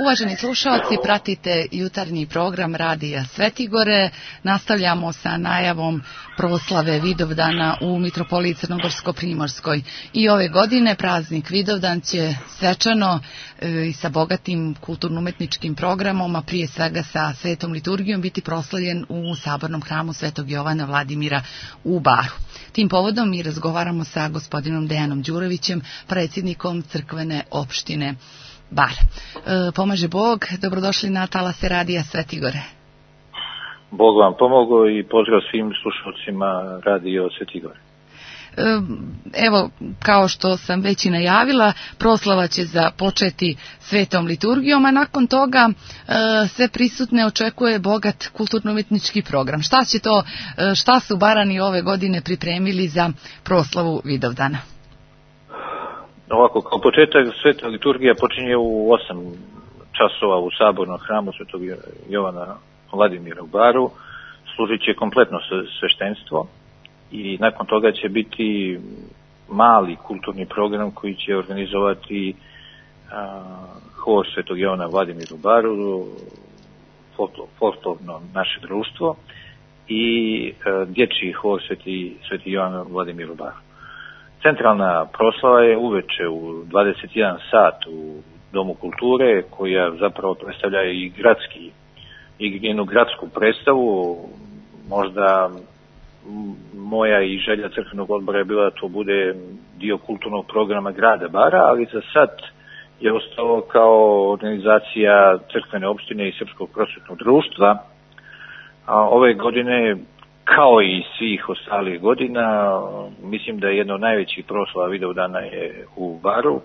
Uvaženi slušalci, pratite jutarnji program Radija Svetigore. Nastavljamo sa najavom proslave Vidovdana u Mitropoliji Crnogorsko-Primorskoj. I ove godine praznik Vidovdan će svečano i sa bogatim kulturno-umetničkim programom, a prije svega sa svetom liturgijom, biti proslavljen u Sabornom hramu Svetog Jovana Vladimira u Baru. Tim povodom mi razgovaramo sa gospodinom Dejanom Đurovićem, predsjednikom crkvene opštine Bar. Pomaže Bog, dobrodošli na talase Radija Svetigore. Bog vam pomogao i pozdrav svim slušalcima Radio Svetigore. Evo, kao što sam već i najavila, proslava će započeti svetom liturgijom, a nakon toga sve prisutne očekuje bogat kulturno-umetnički program. Šta su Barani ove godine pripremili za proslavu Vidovdana? Ovako, kao početak sveta liturgija počinje u 8 časova u Sabornom hramu Svetog Jovana Vladimira u Baru. Služit će kompletno sveštenstvo i nakon toga će biti mali kulturni program koji će organizovati hor Svetog Jovana Vladimira u Baru, folklorno naše društvo, i dječji hor Sveti Jovan Vladimir u Baru. Centralna proslava je uveče u 21 sat u Domu kulture, koja zapravo predstavlja i jednu gradsku predstavu. Možda moja i želja crkvenog odbora je bila da to bude dio kulturnog programa grada Bara, ali za sad je ostalo kao organizacija crkvene opštine i Srpskog prosvetnog društva. Ove godine, kao i svih ostalih godina, mislim da je jedna od najvećih proslava Vidovdana je u Baru.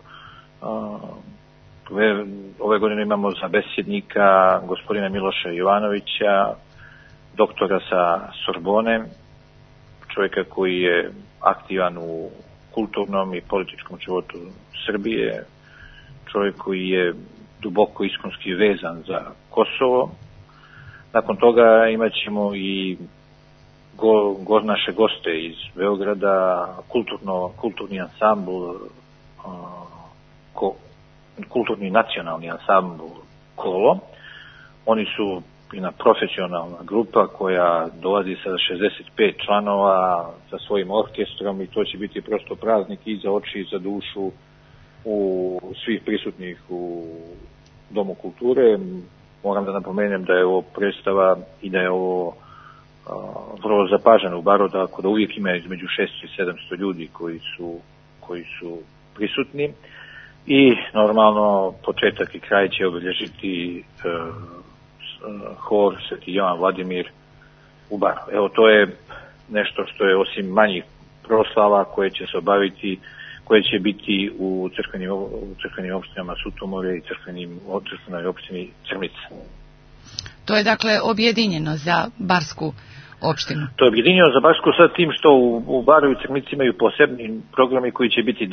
Ove godine imamo za besjednika gospodina Miloša Jovanovića, doktora sa Sorbone, čovjeka koji je aktivan u kulturnom i političkom životu Srbije, čovjek koji je duboko iskonski vezan za Kosovo. Nakon toga imat ćemo i naše goste iz Beograda, kulturni ansambl, kulturni nacionalni ansambl Kolo. Oni su jedna profesionalna grupa koja dolazi sa 65 članova sa svojim orkestrom i to će biti prosto praznik i za oči i za dušu u svih prisutnih u Domu kulture. Moram da napomenem da je ovo predstava i da je ovo vrlo zapaženo u Baru, tako da uvijek ima između 600 i 700 ljudi koji su prisutni i normalno početak i kraj će obilježiti hor Sveti Jovan Vladimir u Baru. Evo, to je nešto što je osim manjih proslava koje će se obaviti, koje će biti u crkvenim opštinama Sutomore i crkvenoj opštini Crnica. To je dakle objedinjeno za barsku opštinu. To je objedinjeno za barsku sa tim što u Baru i Crnici imaju posebni programi koji će biti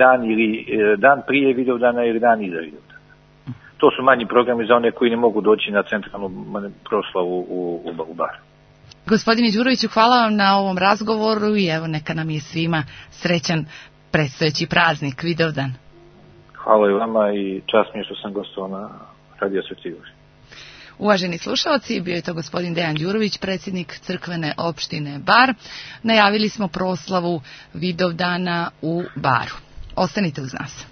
dan prije Vidovdana ili dan iza Vidovdana. To su manji programi za one koji ne mogu doći na centralnu proslavu u Baru. Gospodine Đuroviću, hvala vam na ovom razgovoru i evo neka nam je svima srećan predstojeći praznik Vidovdan. Hvala i vama i čast mi je što sam gostovao na Radio Svetigore. Uvaženi slušalci, bio je to gospodin Dejan Đurović, predsjednik crkvene opštine Bar. Najavili smo proslavu Vidovdana u Baru. Ostanite uz nas.